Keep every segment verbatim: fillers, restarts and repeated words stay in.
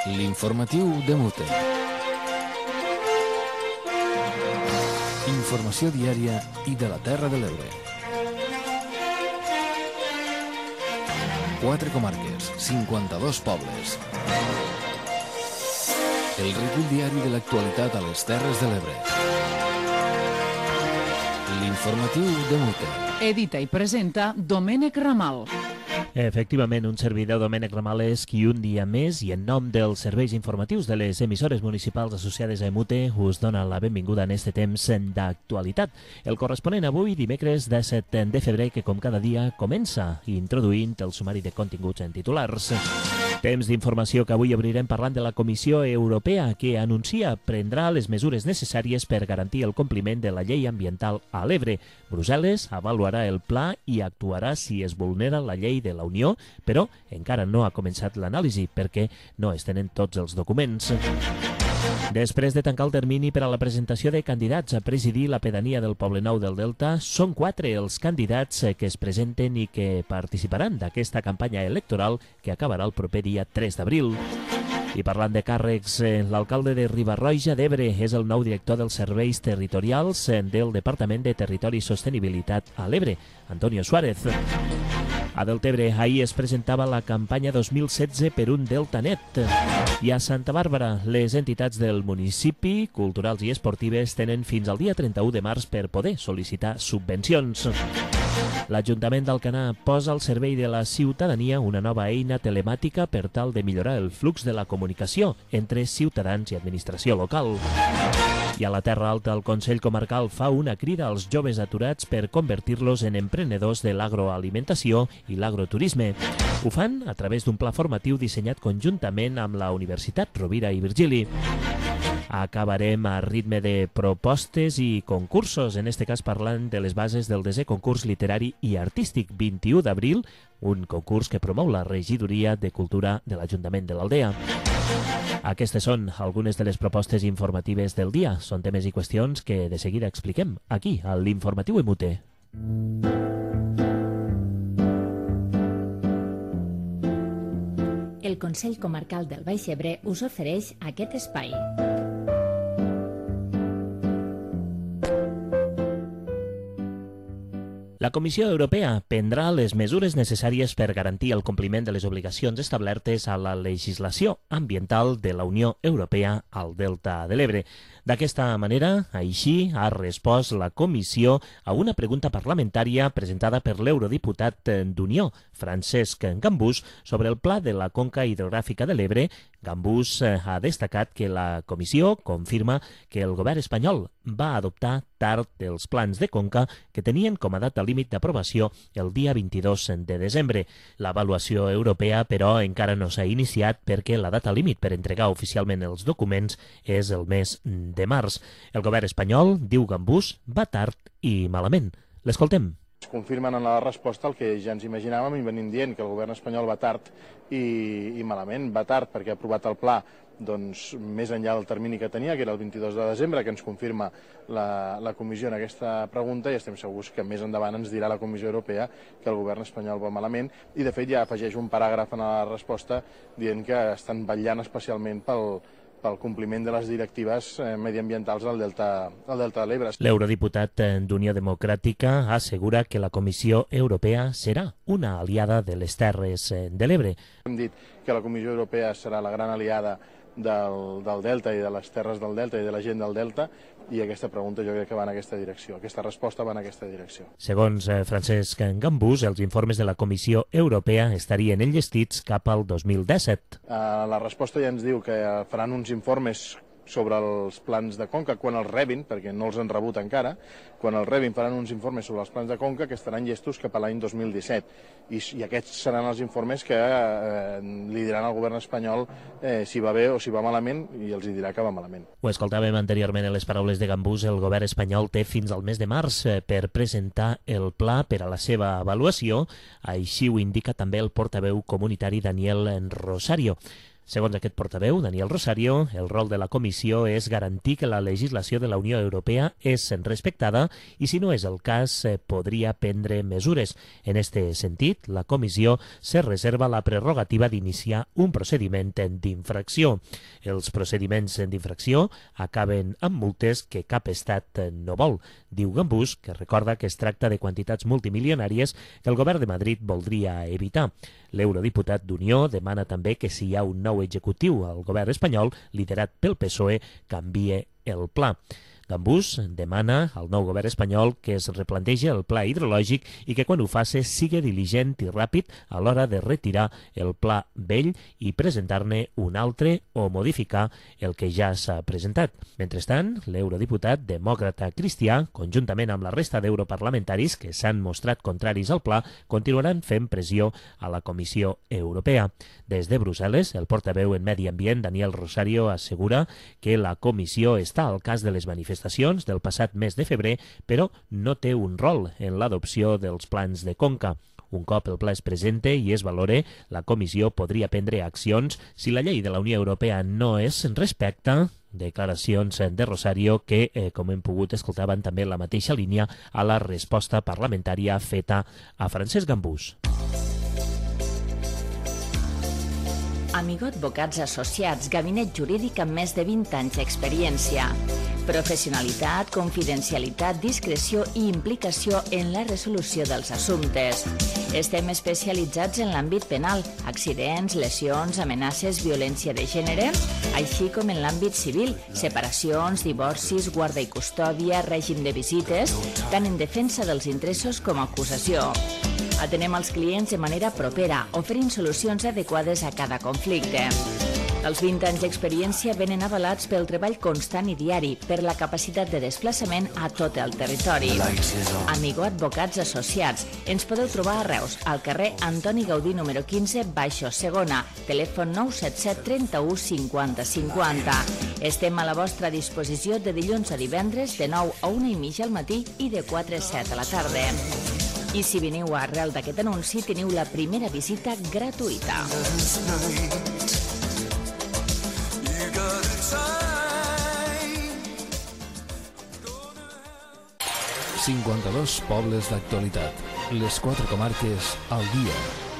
L'informatiu de Mute. Informació diària i de la Terra de l'Ebre. Quatre comarques, cinquanta-dos pobles. El recull diari de l'actualitat a les Terres de l'Ebre. L'informatiu de Mute. Edita i presenta Domènec Ramal. Efectivament, un servidor, Domènec Ramal, és qui un dia més i en nom dels serveis informatius de les emissores municipals associades a Mute us dona la benvinguda en este temps d'actualitat. El corresponent avui, dimecres disset de febrer, que com cada dia comença introduint el sumari de continguts en titulars. Temps d'informació que avui obrirem parlant de la Comissió Europea, que anuncia prendrà les mesures necessàries per garantir el compliment de la llei ambiental a l'Ebre. Brussel·les avaluarà el pla i actuarà si es vulnera la llei de la Unió, però encara no ha començat l'anàlisi perquè no es tenen tots els documents. Després de tancar el termini per a la presentació de candidats a presidir la pedania del Poblenou del Delta, són quatre els candidats que es presenten i que participaran d'aquesta campanya electoral que acabarà el proper dia tres d'abril. I parlant de càrrecs, l'alcalde de Riba-roja d'Ebre és el nou director dels serveis territorials del Departament de Territori i Sostenibilitat a l'Ebre, Antonio Suárez. A Deltebre ahir es presentava la campanya dos mil setze per un Delta net. I a Santa Bàrbara, les entitats del municipi, culturals i esportives, tenen fins al dia trenta-u de març per poder sol·licitar subvencions. L'Ajuntament d'Alcanar posa al servei de la ciutadania una nova eina telemàtica per tal de millorar el flux de la comunicació entre ciutadans i administració local. I a la Terra Alta, el Consell Comarcal fa una crida als joves aturats per convertir-los en emprenedors de l'agroalimentació i l'agroturisme. Ho fan a través d'un pla formatiu dissenyat conjuntament amb la Universitat Rovira i Virgili. Acabarem a ritme de propostes i concursos, en este cas parlant de les bases del desè concurs literari i artístic vint-i-u d'abril, un concurs que promou la Regidoria de Cultura de l'Ajuntament de l'Aldea. Aquestes són algunes de les propostes informatives del dia. Són temes i qüestions que de seguida expliquem aquí, a l'Informatiu Emute. El Consell Comarcal del Baix Ebre us ofereix aquest espai. La Comissió Europea prendrà les mesures necessàries per garantir el compliment de les obligacions establertes a la legislació ambiental de la Unió Europea al Delta de l'Ebre. D'aquesta manera, així ha respost la Comissió a una pregunta parlamentària presentada per l'eurodiputat d'Unió, Francesc Gambús, sobre el pla de la conca hidrogràfica de l'Ebre. Gambús ha destacat que la Comissió confirma que el govern espanyol va adoptar tard els plans de conca que tenien com a data límit d'aprovació el dia vint-i-dos de desembre. L'avaluació europea, però, encara no s'ha iniciat perquè la data límit per entregar oficialment els documents és el mes de març. El govern espanyol, diu Gambús, va tard i malament. L'escoltem. Es confirmen en la resposta el que ja ens imaginàvem i venim dient, que el govern espanyol va tard i, i malament. Va tard perquè ha aprovat el pla doncs, més enllà del termini que tenia, que era el vint-i-dos de desembre, que ens confirma la, la comissió en aquesta pregunta, i estem segurs que més endavant ens dirà la Comissió Europea que el govern espanyol va malament, i de fet ja afegeix un paràgraf en la resposta dient que estan vetllant especialment pel pel compliment de les directives mediambientals al Delta, al Delta de l'Ebre. L'eurodiputat d'Unió Democràtica assegura que la Comissió Europea serà una aliada de les Terres de l'Ebre. Hem dit que la Comissió Europea serà la gran aliada del, del Delta i de les terres del Delta i de la gent del Delta, i aquesta pregunta jo crec que va en aquesta direcció, aquesta resposta va en aquesta direcció. Segons Francesc Gambús, els informes de la Comissió Europea estarien enllestits cap al dos mil disset. Uh, la resposta ja ens diu que faran uns informes sobre els plans de conca quan els rebin, perquè no els han rebut encara. Quan els rebin faran uns informes sobre els plans de conca que estaran llestos cap a l'any dos mil disset. I, i aquests seran els informes que eh, li diran al govern espanyol eh, si va bé o si va malament, i els hi dirà que va malament. Ho escoltàvem anteriorment en les paraules de Gambús. El govern espanyol té fins al mes de març per presentar el pla per a la seva avaluació. Així ho indica també el portaveu comunitari Daniel Rosario. Segons aquest portaveu, Daniel Rosario, el rol de la comissió és garantir que la legislació de la Unió Europea és respectada i, si no és el cas, podria prendre mesures. En este sentit, la comissió se reserva la prerrogativa d'iniciar un procediment d'infracció. Els procediments d'infracció acaben amb multes que cap estat no vol. Diu Gambús, que recorda que es tracta de quantitats multimilionàries que el govern de Madrid voldria evitar. L'eurodiputat d'Unió demana també que si hi ha un nou executiu al govern espanyol, liderat pel P S O E, canvie el pla. Gambús demana al nou govern espanyol que es replantegi el pla hidrològic i que quan ho faci sigui diligent i ràpid a l'hora de retirar el pla vell i presentar-ne un altre o modificar el que ja s'ha presentat. Mentrestant, l'eurodiputat demòcrata cristià, conjuntament amb la resta d'europarlamentaris que s'han mostrat contraris al pla, continuaran fent pressió a la Comissió Europea. Des de Brussel·les, el portaveu en Medi Ambient, Daniel Rosario, assegura que la comissió està al cas de les manifestacions del passat mes de febrer, però no té un rol en l'adopció dels plans de conca. Un cop el pla es presente i es valore, la comissió podria prendre accions si la llei de la Unió Europea no es respecta. Declaracions de Rosario que, eh, com hem pogut escoltar, van també en la mateixa línia a la resposta parlamentària feta a Francesc Gambús. Amigo Advocats Associats, gabinet jurídic amb més de vint anys d'experiència. Professionalitat, confidencialitat, discreció i implicació en la resolució dels assumptes. Estem especialitzats en l'àmbit penal, accidents, lesions, amenaces, violència de gènere, així com en l'àmbit civil, separacions, divorcis, guarda i custòdia, règim de visites, tant en defensa dels interessos com a acusació. Atenem els clients de manera propera, oferint solucions adequades a cada conflicte. Els vint anys d'experiència venen avalats pel treball constant i diari, per la capacitat de desplaçament a tot el territori. Amigo Advocats Associats. Ens podeu trobar a Reus, al carrer Antoni Gaudí número quinze, baixo segona, telèfon nou set set trenta-u cinquanta cinquanta. Estem a la vostra disposició de dilluns a divendres de nou a una i mitja al matí i de quatre a set a la tarda. I si veniu arrel d'aquest anunci, teniu la primera visita gratuïta. cinquanta-dos pobles d'actualitat. Les quatre comarques al dia.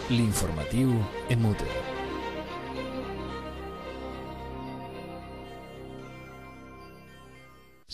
L'informatiu en Mute.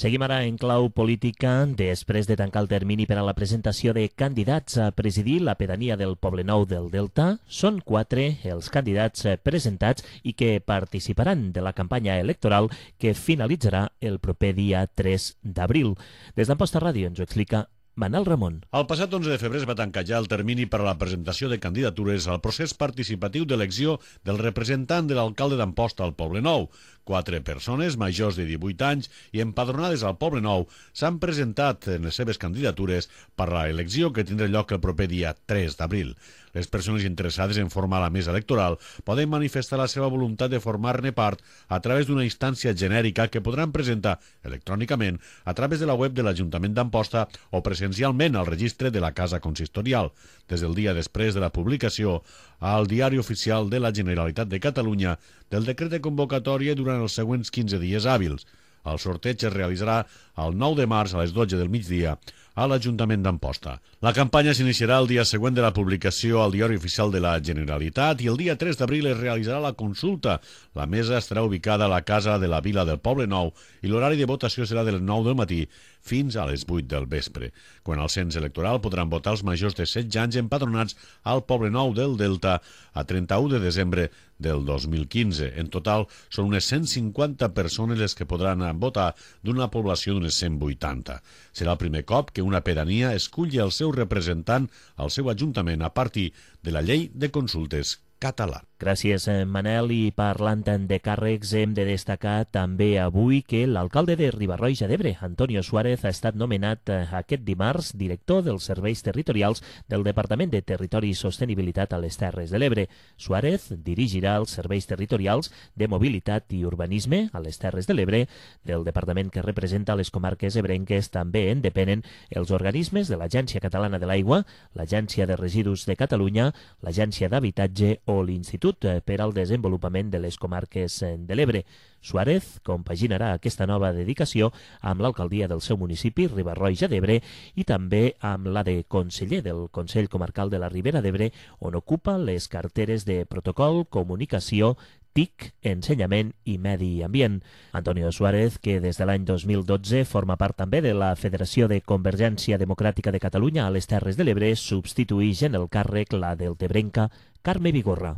Seguim ara en clau política. Després de tancar el termini per a la presentació de candidats a presidir la pedania del Poblenou del Delta, són quatre els candidats presentats i que participaran de la campanya electoral que finalitzarà el proper dia tres d'abril. Des d'Amposta Ràdio ens ho explica Manel Ramon. El passat onze de febrer es va tancar ja el termini per a la presentació de candidatures al procés participatiu d'elecció del representant de l'alcalde d'Amposta al Poblenou. Quatre persones majors de divuit anys i empadronades al Poblenou s'han presentat en les seves candidatures per a l'elecció que tindrà lloc el proper dia tres d'abril. Les persones interessades en formar la mesa electoral poden manifestar la seva voluntat de formar-ne part a través d'una instància genèrica que podran presentar electrònicament a través de la web de l'Ajuntament d'Amposta o presencialment al registre de la Casa Consistorial, des del dia després de la publicació al Diari Oficial de la Generalitat de Catalunya del decret de convocatòria durant els següents quinze dies hàbils. El sorteig es realitzarà el nou de març a les dotze del migdia a l'Ajuntament d'Amposta. La campanya s'iniciarà el dia següent de la publicació al Diari Oficial de la Generalitat i el dia tres d'abril es realitzarà la consulta. La mesa estarà ubicada a la Casa de la Vila del Poblenou i l'horari de votació serà de les nou del matí fins a les vuit del vespre. Quan al cens electoral podran votar els majors de setze anys empadronats al Poblenou del Delta a trenta-u de desembre del dos mil quinze. En total, són unes cent cinquanta persones les que podran votar d'una població d'unes cent vuitanta. Serà el primer cop que una pedania esculli el seu representant al seu ajuntament a partir de la llei de consultes català. Gràcies, Manel. I parlant de càrrecs, hem de destacar també avui que l'alcalde de Riba-roja d'Ebre, Antonio Suárez, ha estat nomenat aquest dimarts director dels serveis territorials del Departament de Territori i Sostenibilitat a les Terres de l'Ebre. Suárez dirigirà els serveis territorials de mobilitat i urbanisme a les Terres de l'Ebre. Del departament que representa les comarques ebrenques també en depenen els organismes de l'Agència Catalana de l'Aigua, l'Agència de Residus de Catalunya, l'Agència d'Habitatge o l'Institut l'Institut per al Desenvolupament de les Comarques de l'Ebre. Suárez compaginarà aquesta nova dedicació amb l'alcaldia del seu municipi, Riba-roja d'Ebre, i també amb la de conseller del Consell Comarcal de la Ribera d'Ebre, on ocupa les carteres de Protocol, Comunicació, T I C, Ensenyament i Medi Ambient. Antonio Suárez, que des de l'any dos mil dotze forma part també de la Federació de Convergència Democràtica de Catalunya a les Terres de l'Ebre, substituïx en el càrrec la deltebrenca Carme Vigorra.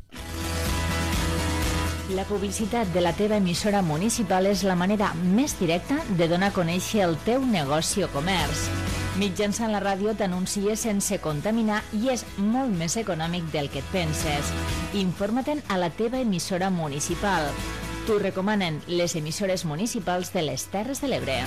La publicitat de la teva emissora municipal és la manera més directa de donar a conèixer el teu negoci o comerç. Mitjançant la ràdio t'anuncies sense contaminar i és molt més econòmic del que et penses. Informa-te'n a la teva emissora municipal. T'ho recomanen les emissores municipals de les Terres de l'Ebre.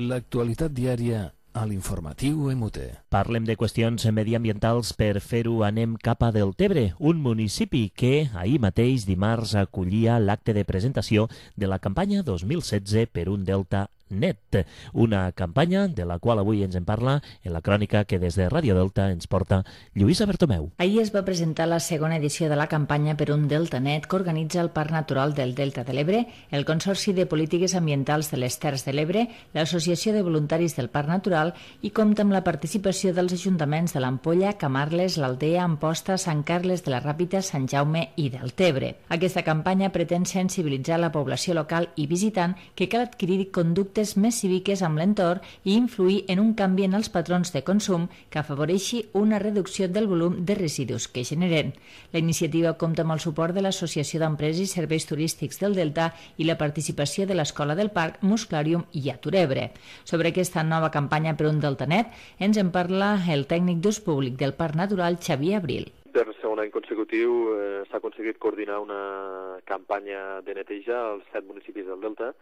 L'actualitat diària a l'informatiu E M U T E. Parlem de qüestions mediambientals. Per fer-ho anem cap a Deltebre, un municipi que ahir mateix, dimarts, acollia l'acte de presentació de la campanya dos mil setze per un Delta net, una campanya de la qual avui ens en parla en la crònica que des de Ràdio Delta ens porta Lluïsa Bertomeu. Ahir es va presentar la segona edició de la campanya per un Delta net que organitza el Parc Natural del Delta de l'Ebre, el Consorci de Polítiques Ambientals de les Terres de l'Ebre, l'Associació de Voluntaris del Parc Natural i compta amb la participació dels ajuntaments de l'Ampolla, Camarles, l'Aldea, Amposta, Sant Carles de la Ràpita, Sant Jaume i Deltebre. Aquesta campanya pretén sensibilitzar la població local i visitant que cal adquirir conductes més cíviques amb l'entorn i influir en un canvi en els patrons de consum que afavoreixi una reducció del volum de residus que generen. La iniciativa compta amb el suport de l'Associació d'Empreses i Serveis Turístics del Delta i la participació de l'Escola del Parc, Musclàrium i Aturebre. Sobre aquesta nova campanya per un Delta net ens en parla el tècnic d'ús públic del Parc Natural, Xavier Abril. Per segon any consecutiu eh, s'ha aconseguit coordinar una campanya de neteja als set municipis del Delta,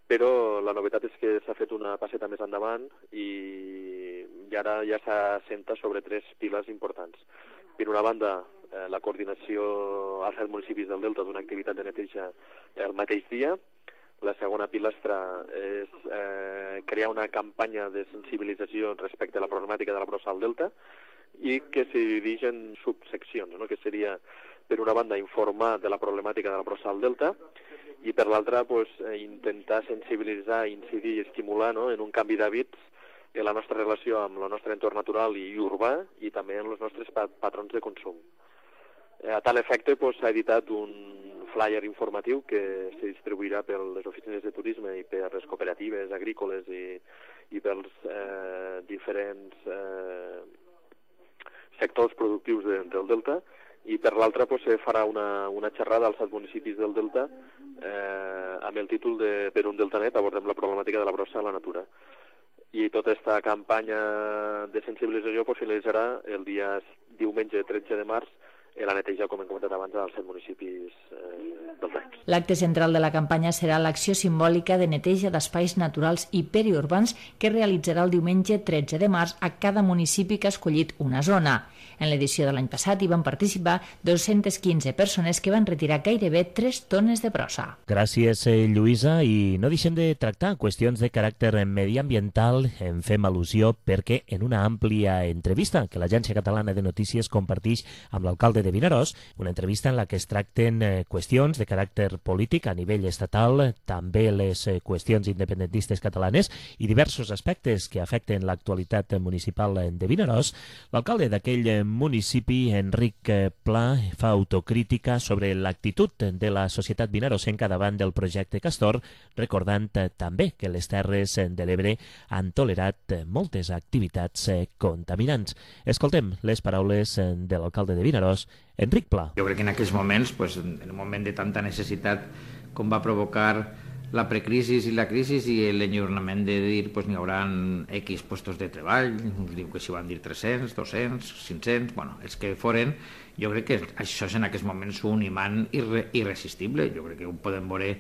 però la novetat és que s'ha fet una passeta més endavant i, i ara ja s'assenta sobre tres piles importants. Per una banda, eh, la coordinació als set municipis del Delta d'una activitat de neteja el mateix dia. La segona pilastra és eh, crear una campanya de sensibilització respecte a la problemàtica de la brossa al Delta i que se divideix en subseccions, no? Que seria, per una banda, informar de la problemàtica de la brossa al Delta i per l'altra pues, intentar sensibilitzar, incidir i estimular, no? En un canvi d'hàbits en la nostra relació amb el nostre entorn natural i urbà i també en els nostres pat patrons de consum. A tal efecte pues, s'ha editat un flyer informatiu que se distribuirà per les oficines de turisme i per les cooperatives agrícoles i, i pels eh, diferents eh, sectors productius de, del Delta, i per l'altra pues, se farà una, una xerrada als set municipis del Delta eh, amb el títol de Per un Delta net abordem la problemàtica de la brossa a la natura. I tota aquesta campanya de sensibilització pues, finalitzarà el dia diumenge tretze de març i la neteja, com hem comentat abans, als set municipis eh, del Delta. L'acte central de la campanya serà l'acció simbòlica de neteja d'espais naturals i periurbans que realitzarà el diumenge tretze de març a cada municipi que ha escollit una zona. En l'edició de l'any passat hi van participar dos-centes quinze persones que van retirar gairebé tres tones de brossa. Gràcies, eh, Lluïsa, i no deixem de tractar qüestions de caràcter mediambiental. En fem al·lusió perquè en una àmplia entrevista que l'Agència Catalana de Notícies compartix amb l'alcalde de Vinaròs, una entrevista en la que es tracten eh, qüestions de caràcter polític a nivell estatal, també les eh, qüestions independentistes catalanes i diversos aspectes que afecten l'actualitat municipal de Vinaròs, l'alcalde d'aquell municipi, Enric Pla, fa autocrítica sobre l'actitud de la societat vinarossenca davant del projecte Castor, recordant també que les Terres de l'Ebre han tolerat moltes activitats contaminants. Escoltem les paraules de l'alcalde de Vinaròs, Enric Pla. Jo crec que en aquells moments, pues, en un moment de tanta necessitat com va provocar la precrisi i la crisi i l'enyornament de dir pues, n'hi haurà X puestos de treball, uns diu que s'hi van dir tres-cents, dos-cents, cinc-cents, bueno, els que foren, jo crec que això és en aquests moments un imant irre irresistible, jo crec que ho podem veure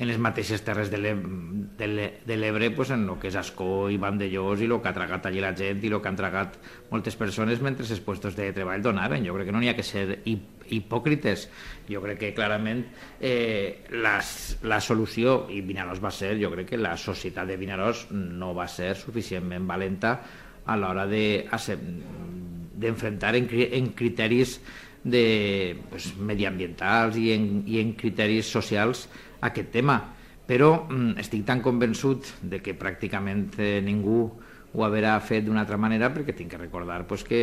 en les mateixes terres de l'Ebre, pues, en el que és Ascó i Vandellós i el que ha tragat allí la gent i el que han tragat moltes persones mentre els puestos de treball donaven. Jo crec que no n'hi ha que ser hipòcrites. Jo crec que clarament eh, la, la solució, i Vinaròs va ser, jo crec que la societat de Vinaròs no va ser suficientment valenta a l'hora de, d'enfrontar en, en criteris de, pues, mediambientals i en, i en criteris socials aquest tema. Però mm, estic tan convençut de que pràcticament eh, ningú ho haurà fet d'una altra manera, perquè tinc que recordar pues, que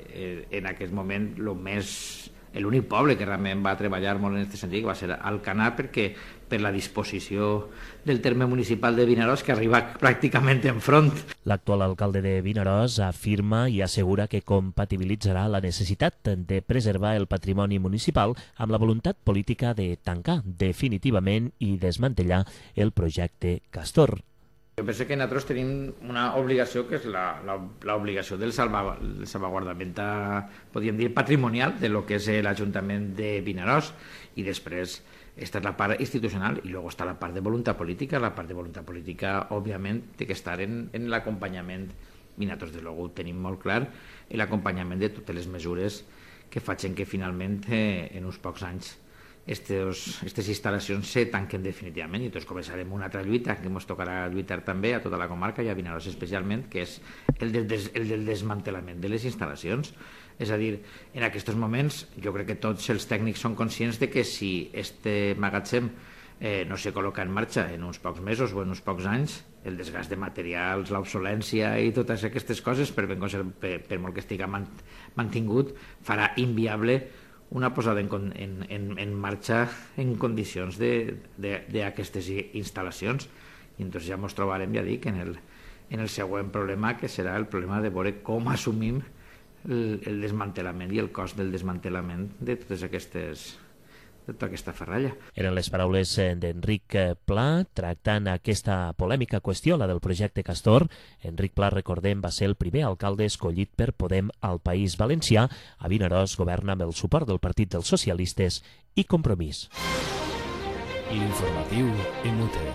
eh, en aquest moment lo més l'únic poble que realment va treballar molt en aquest sentit va ser Alcanar, perquè per la disposició del terme municipal de Vinaròs, que arriba pràcticament enfront. L'actual alcalde de Vinaròs afirma i assegura que compatibilitzarà la necessitat de preservar el patrimoni municipal amb la voluntat política de tancar definitivament i desmantellar el projecte Castor. Jo penso que nosaltres tenim una obligació que és l'obligació del salva, salvaguardament, podríem dir, patrimonial de lo que és l'Ajuntament de Vinaròs, i després esta és la part institucional i després està la part de voluntat política. La part de voluntat política, òbviament, té que estar en, en l'acompanyament, i nosaltres, des de ho tenim molt clar, en l'acompanyament de totes les mesures que facin que finalment, eh, en uns pocs anys, aquestes instal·lacions se tanquen definitivament, i tots començarem una altra lluita que ens tocarà lluitar també a tota la comarca i a Vinaròs especialment, que és el del, des, el del desmantelament de les instal·lacions. És a dir, en aquests moments jo crec que tots els tècnics són conscients de que si este magatzem eh, no se col·loca en marxa en uns pocs mesos o en uns pocs anys, el desgast de materials, l'obsolència i totes aquestes coses, per, ben per, per molt que estigui mantingut, farà inviable una posada en, en, en, en marxa en condicions d'aquestes instal·lacions. I entonces ja ens trobarem, ja dic, en el, en el següent problema, que serà el problema de veure com assumim el, el desmantelament i el cost del desmantelament de totes aquestes de tota aquesta ferralla. Eren les paraules d'Enric Pla tractant aquesta polèmica qüestió, la del projecte Castor. Enric Pla, recordem, va ser el primer alcalde escollit per Podem al País Valencià. A Vinaròs governa amb el suport del Partit dels Socialistes i Compromís. L'informatiu en Mute.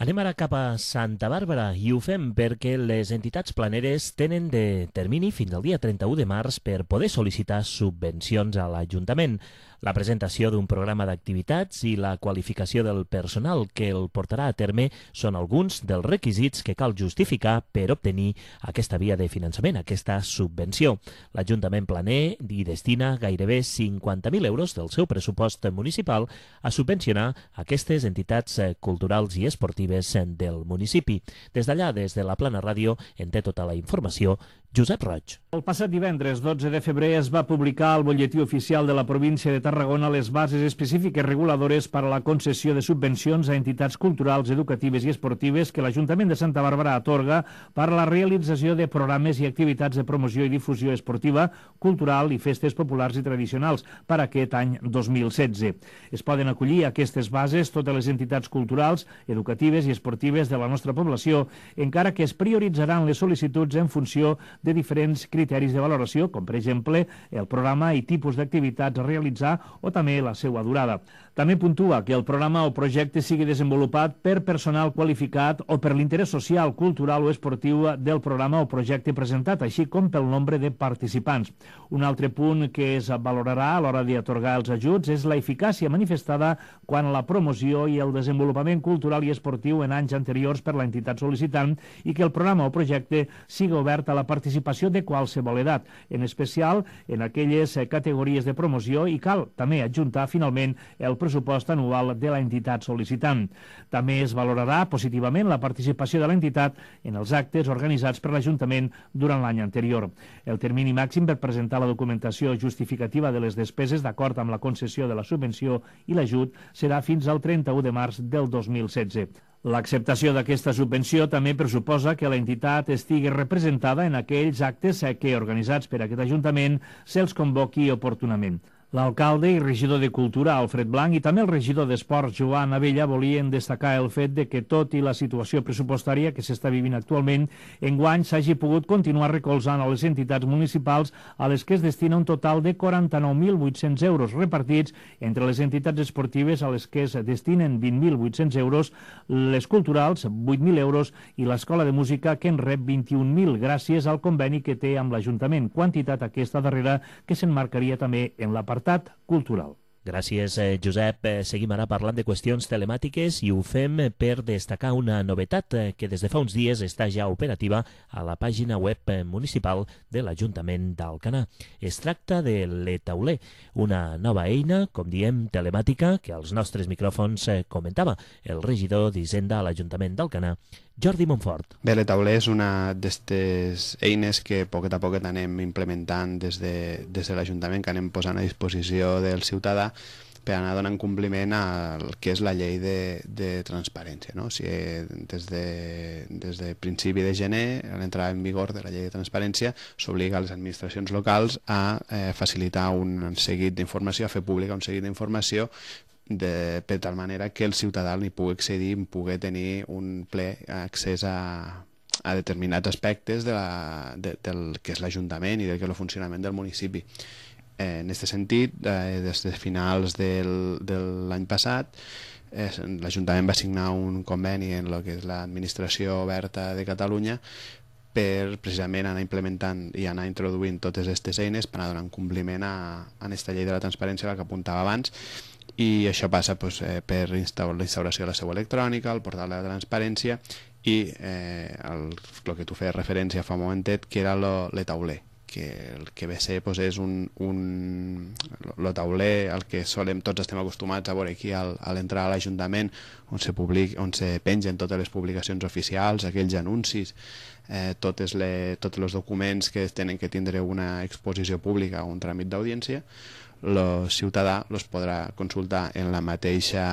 Anem ara cap a Santa Bàrbara i ho fem perquè les entitats planeres tenen de termini fins al dia trenta-u de març per poder sol·licitar subvencions a l'Ajuntament. La presentació d'un programa d'activitats i la qualificació del personal que el portarà a terme són alguns dels requisits que cal justificar per obtenir aquesta via de finançament, aquesta subvenció. L'Ajuntament planer hi destina gairebé cinquanta mil euros del seu pressupost municipal a subvencionar aquestes entitats culturals i esportives del municipi. Des d'allà, des de la Plana Ràdio, en té tota la informació Josep Roig. El passat divendres, dotze de febrer, es va publicar al Bolletí Oficial de la província de Tarragona les bases específiques reguladores per a la concessió de subvencions a entitats culturals, educatives i esportives que l'Ajuntament de Santa Bàrbara atorga per a la realització de programes i activitats de promoció i difusió esportiva, cultural i festes populars i tradicionals per a aquest any dos mil setze. Es poden acollir a aquestes bases totes les entitats culturals, educatives i esportives de la nostra població, encara que es prioritzaran les sol·licituds en funció de diferents criteris de valoració, com per exemple el programa i tipus d'activitats a realitzar o també la seva durada. També puntua que el programa o projecte sigui desenvolupat per personal qualificat o per l'interès social, cultural o esportiu del programa o projecte presentat, així com pel nombre de participants. Un altre punt que es valorarà a l'hora d'atorgar els ajuts és la eficàcia manifestada quan la promoció i el desenvolupament cultural i esportiu en anys anteriors per l'entitat sol·licitant i que el programa o projecte sigui obert a la participació de qualsevol edat, en especial en aquelles categories de promoció, i cal també adjuntar finalment el pressupost anual de l'entitat sol·licitant. També es valorarà positivament la participació de l'entitat en els actes organitzats per l'Ajuntament durant l'any anterior. El termini màxim per presentar la documentació justificativa de les despeses d'acord amb la concessió de la subvenció i l'ajut serà fins al trenta-u de març del dos mil setze. L'acceptació d'aquesta subvenció també pressuposa que l'entitat estigui representada en aquells actes que, organitzats per aquest Ajuntament, se'ls convoqui oportunament. L'alcalde i regidor de Cultura, Alfred Blanc, i també el regidor d'Esports, Joan Abella, volien destacar el fet de que, tot i la situació pressupostària que s'està vivint actualment, enguany s'hagi pogut continuar recolzant a les entitats municipals a les que es destina un total de quaranta-nou mil vuit-cents euros repartits entre les entitats esportives a les que es destinen vint mil vuit-cents euros, les culturals vuit mil euros i l'Escola de Música que en rep vint-i-un mil gràcies al conveni que té amb l'Ajuntament, quantitat aquesta darrera que s'emmarcaria també en la part cultural. Gràcies, Josep. Seguim ara parlant de qüestions telemàtiques i ho fem per destacar una novetat que des de fa uns dies està ja operativa a la pàgina web municipal de l'Ajuntament d'Alcanar. Es tracta de l'e-tauler, una nova eina, com diem, telemàtica, que als nostres micròfons comentava el regidor d'Hisenda a l'Ajuntament d'Alcanar, Jordi Montfort. Bé, l'e-tauler és una d'aquestes eines que poquet a poquet anem implementant des de, des de l'Ajuntament, que anem posant a disposició del ciutadà per anar donant compliment al que és la llei de, de transparència. No? O sigui, des de, des de principi de gener, a l'entrada en vigor de la llei de transparència, s'obliga a les administracions locals a eh, facilitar un seguit d'informació, a fer pública un seguit d'informació de, per tal manera que el ciutadà n'hi pugui accedir, pugui tenir un ple accés a, a determinats aspectes de la, de, del que és l'Ajuntament i del que és el funcionament del municipi. Eh, en aquest sentit, eh, des de finals del, de l'any passat, eh, l'Ajuntament va signar un conveni en el que és l'Administració Oberta de Catalunya per precisament anar implementant i anar introduint totes aquestes eines per anar donant compliment a, a aquesta llei de la transparència, la que apuntava abans, i això passa pues, eh, per instaur la instauració de la seu electrònica, el portal de la transparència i eh, el, el que tu feies referència fa un momentet, que era l'e-tauler, que el que ve a ser pues, és un, un el tauler al que solem, tots estem acostumats a veure aquí al, a l'entrada a l'Ajuntament, on se public, on se pengen totes les publicacions oficials, aquells anuncis, eh, totes les, tots els documents que tenen que tindre una exposició pública o un tràmit d'audiència. El ciutadà els podrà consultar en la mateixa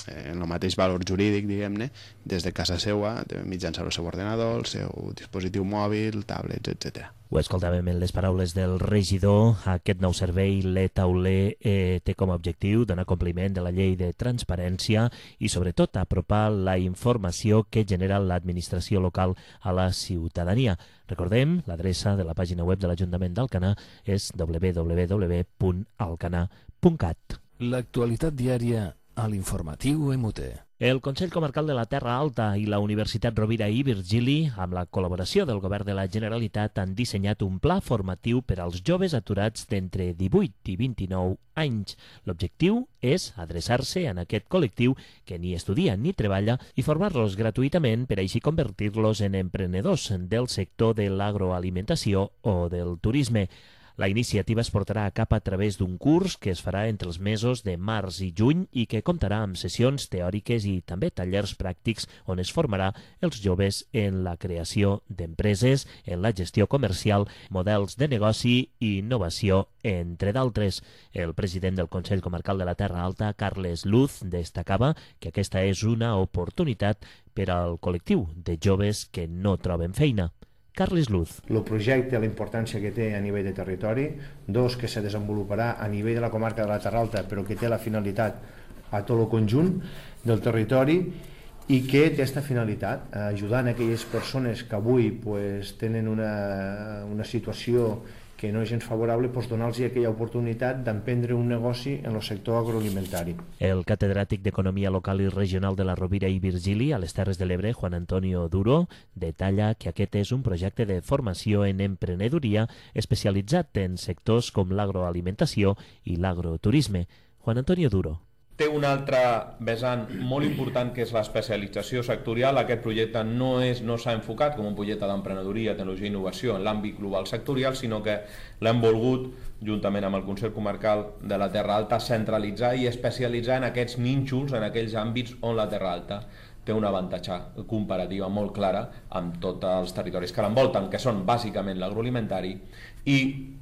en el mateix valor jurídic, diguem-ne, des de casa seva, mitjançant el seu ordenador, el seu dispositiu mòbil, tablets, etcètera. Ho escoltàvem en les paraules del regidor. Aquest nou servei, l'e-tauler, eh, té com a objectiu donar compliment de la llei de transparència i, sobretot, apropar la informació que genera l'administració local a la ciutadania. Recordem, l'adreça de la pàgina web de l'Ajuntament d'Alcanar és w w w punt alcanar punt cat. L'actualitat diària a l'informatiu M T. El Consell Comarcal de la Terra Alta i la Universitat Rovira i Virgili, amb la col·laboració del Govern de la Generalitat, han dissenyat un pla formatiu per als joves aturats d'entre divuit i vint-i-nou anys. L'objectiu és adreçar-se en aquest col·lectiu que ni estudia ni treballa i formar-los gratuïtament per així convertir-los en emprenedors del sector de l'agroalimentació o del turisme. La iniciativa es portarà a cap a través d'un curs que es farà entre els mesos de març i juny i que comptarà amb sessions teòriques i també tallers pràctics on es formarà els joves en la creació d'empreses, en la gestió comercial, models de negoci i innovació, entre d'altres. El president del Consell Comarcal de la Terra Alta, Carles Luz, destacava que aquesta és una oportunitat per al col·lectiu de joves que no troben feina. Carles Luz. El projecte, la importància que té a nivell de territori, dos, que se desenvoluparà a nivell de la comarca de la Terra Alta, però que té la finalitat a tot el conjunt del territori i que té aquesta finalitat, ajudant a aquelles persones que avui pues, tenen una, una situació que no és gens favorable, pues, donar-los aquella oportunitat d'emprendre un negoci en el sector agroalimentari. El catedràtic d'Economia Local i Regional de la Rovira i Virgili a les Terres de l'Ebre, Juan Antonio Duro, detalla que aquest és un projecte de formació en emprenedoria especialitzat en sectors com l'agroalimentació i l'agroturisme. Juan Antonio Duro. Té un altre vessant molt important que és l'especialització sectorial. Aquest projecte no és no s'ha enfocat com un projecte d'emprenedoria, tecnologia i innovació en l'àmbit global sectorial, sinó que l'hem volgut, juntament amb el Consell Comarcal de la Terra Alta, centralitzar i especialitzar en aquests nínxols, en aquells àmbits on la Terra Alta té una avantatge comparativa molt clara amb tots els territoris que l'envolten, que són bàsicament l'agroalimentari i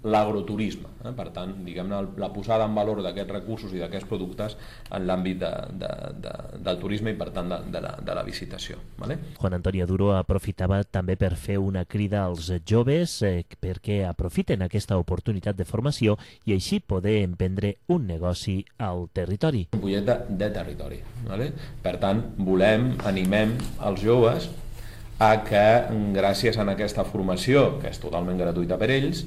l'agroturisme. Eh? Per tant, diguem-ne, la posada en valor d'aquests recursos i d'aquests productes en l'àmbit de, de, de, del turisme i, per tant, de, de, la, de la visitació. Vale? Juan Antonio Duro aprofitava també per fer una crida als joves eh, perquè aprofiten aquesta oportunitat de formació i així poder emprendre un negoci al territori. Un projecte de territori. Vale? Per tant, volem, animem els joves a que, gràcies a aquesta formació, que és totalment gratuïta per ells,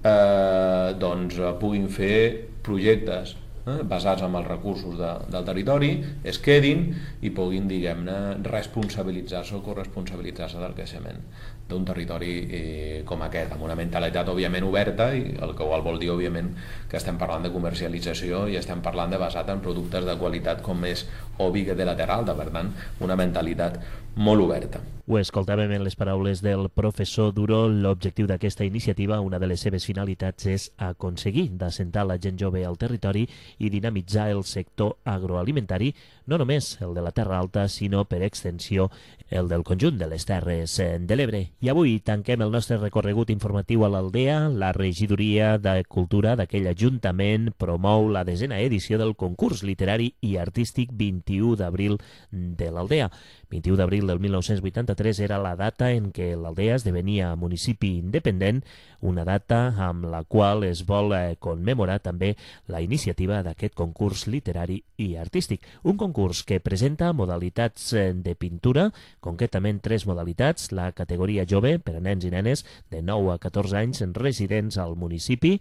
eh, doncs puguin fer projectes eh, basats en els recursos de, del territori, es quedin i puguin, diguem-ne, responsabilitzar-se o corresponsabilitzar-se del creixement d'un territori eh, com aquest, amb una mentalitat òbviament oberta, i el que vol dir òbviament que estem parlant de comercialització i estem parlant de basat en productes de qualitat com és obvi que té la Terra Alta, per tant una mentalitat molt oberta. Ho escoltàvem en les paraules del professor Duro. L'objectiu d'aquesta iniciativa, una de les seves finalitats, és aconseguir d'assentar la gent jove al territori i dinamitzar el sector agroalimentari, no només el de la Terra Alta, sinó per extensió el del conjunt de les Terres de l'Ebre. I avui tanquem el nostre recorregut informatiu a l'Aldea. La Regidoria de Cultura d'aquell Ajuntament promou la desena edició del concurs literari i artístic vint-i-u d'abril de l'Aldea. vint-i-u d'abril del mil nou-cents vuitanta-tres era la data en què l'Aldea esdevenia municipi independent, una data amb la qual es vol eh, commemorar també la iniciativa d'aquest concurs literari i artístic. Un concurs que presenta modalitats eh, de pintura, concretament tres modalitats: la categoria jove per a nens i nenes de nou a catorze anys residents al municipi,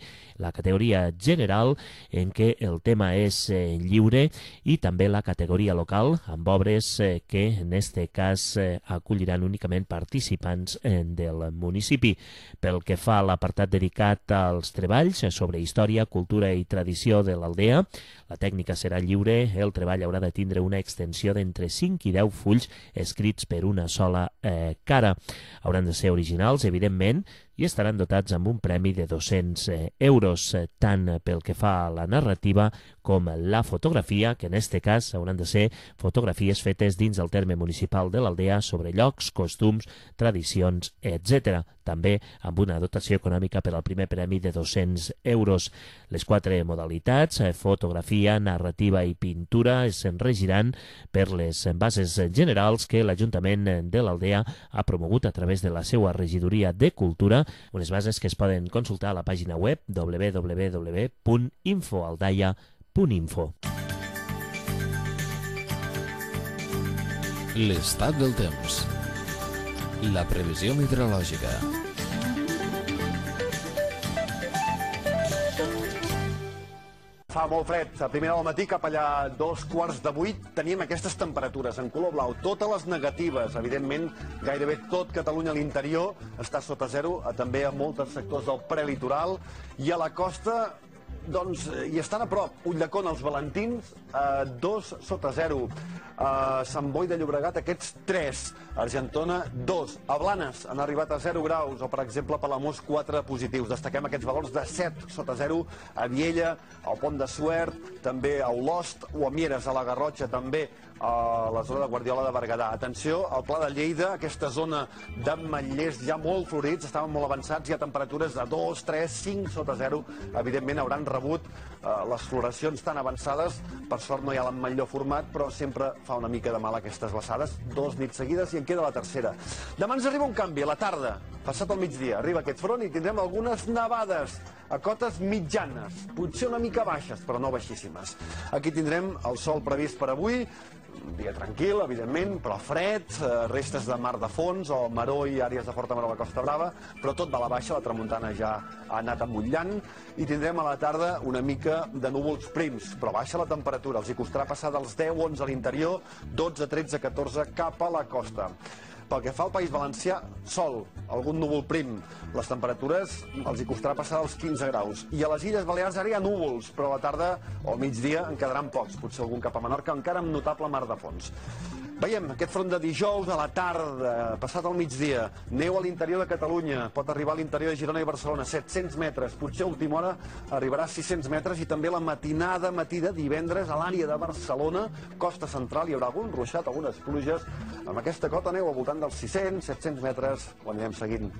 la categoria general en què el tema és eh, lliure, i també la categoria local amb obres eh, que en este cas eh, acolliran únicament participants eh, del municipi. Pel que fa a l'apartat dedicat als treballs sobre història, cultura i tradició de l'Aldea, la tècnica serà lliure. El treball haurà de tindre una extensió d'entre cinc i deu fulls escrits per una sola eh, cara. Hauran de ser originals, evidentment, i estaran dotats amb un premi de dos-cents euros, tant pel que fa a la narrativa com la fotografia, que en este cas hauran de ser fotografies fetes dins del terme municipal de l'Aldea sobre llocs, costums, tradicions, etcètera. També amb una dotació econòmica per al primer premi de dos-cents euros. Les quatre modalitats, fotografia, narrativa i pintura, es regiran per les bases generals que l'Ajuntament de l'Aldea ha promogut a través de la seva regidoria de Cultura, unes bases que es poden consultar a la pàgina web w w w punt infoaldaia punt info. L'estat del temps. La previsió meteorològica. Fa molt fred. A primera del matí, cap allà dos quarts de vuit, teníem aquestes temperatures en color blau, totes les negatives. Evidentment, gairebé tot Catalunya a l'interior està sota zero, també a molts sectors del prelitoral, i a la costa doncs hi estan a prop. Ulldecona, els Valentins, eh, dos sota zero. A Sant Boi de Llobregat, aquests tres. Argentona, dos. A Blanes han arribat a zero graus, o per exemple a Palamós, quatre positius. Destaquem aquests valors de set sota zero a Viella, al Pont de Suert, també a Olost, o a Mieres, a la Garrotxa, també a la zona de Guardiola de Berguedà. Atenció al Pla de Lleida, aquesta zona d'ametllers ja molt florits, estaven molt avançats, hi ha temperatures de dos, tres, cinc sota zero. Evidentment hauran rebut eh, les floracions tan avançades. Per sort no hi ha l'ametller format, però sempre fa una mica de mal aquestes glaçades. Dos nits seguides i en queda la tercera. Demà ens arriba un canvi, a la tarda, passat el migdia, arriba aquest front i tindrem algunes nevades a cotes mitjanes, potser una mica baixes, però no baixíssimes. Aquí tindrem el sol previst per avui, un dia tranquil, evidentment, però fred, restes de mar de fons, o maró i àrees de forta mar a la Costa Brava, però tot va a la baixa, la tramuntana ja ha anat emmotllant, i tindrem a la tarda una mica de núvols prims, però baixa la temperatura, els hi costarà passar dels deu a onze a l'interior, dotze, tretze, catorze cap a la costa. Pel que fa al País Valencià, sol, algun núvol prim. Les temperatures els hi costarà passar dels quinze graus. I a les Illes Balears ara hi ha núvols, però a la tarda o al migdia en quedaran pocs, potser algun cap a Menorca, encara amb notable mar de fons. Veiem aquest front de dijous a la tarda, passat al migdia, neu a l'interior de Catalunya, pot arribar a l'interior de Girona i Barcelona, set-cents metres, potser a última hora arribarà a sis-cents metres, i també la matinada, matí de divendres, a l'àrea de Barcelona, costa central, hi haurà algun ruixat, algunes pluges, amb aquesta cota neu al voltant dels sis-cents, set-cents metres, ho anirem seguint.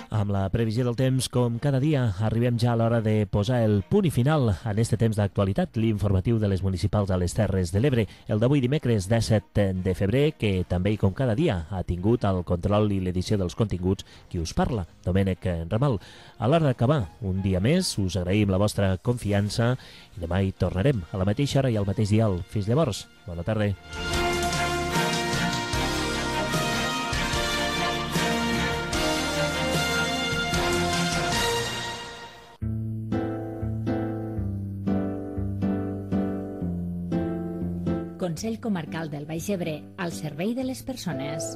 Amb la previsió del temps, com cada dia, arribem ja a l'hora de posar el punt i final en este temps d'actualitat, l'informatiu de les municipals a les Terres de l'Ebre, el d'avui dimecres disset de febrer, que també, com cada dia, ha tingut el control i l'edició dels continguts qui us parla, Domènec Ramal. A l'hora d'acabar, un dia més, us agraïm la vostra confiança i demà hi tornarem a la mateixa hora i al mateix dial. Fins llavors, bona tarda. Consell Comarcal del Baix Ebre, al servei de les persones.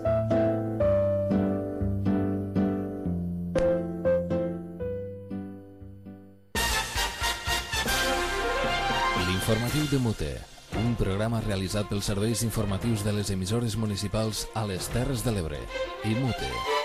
L'informatiu de Mute, un programa realitzat pels serveis informatius de les emissores municipals a les Terres de l'Ebre i Mute.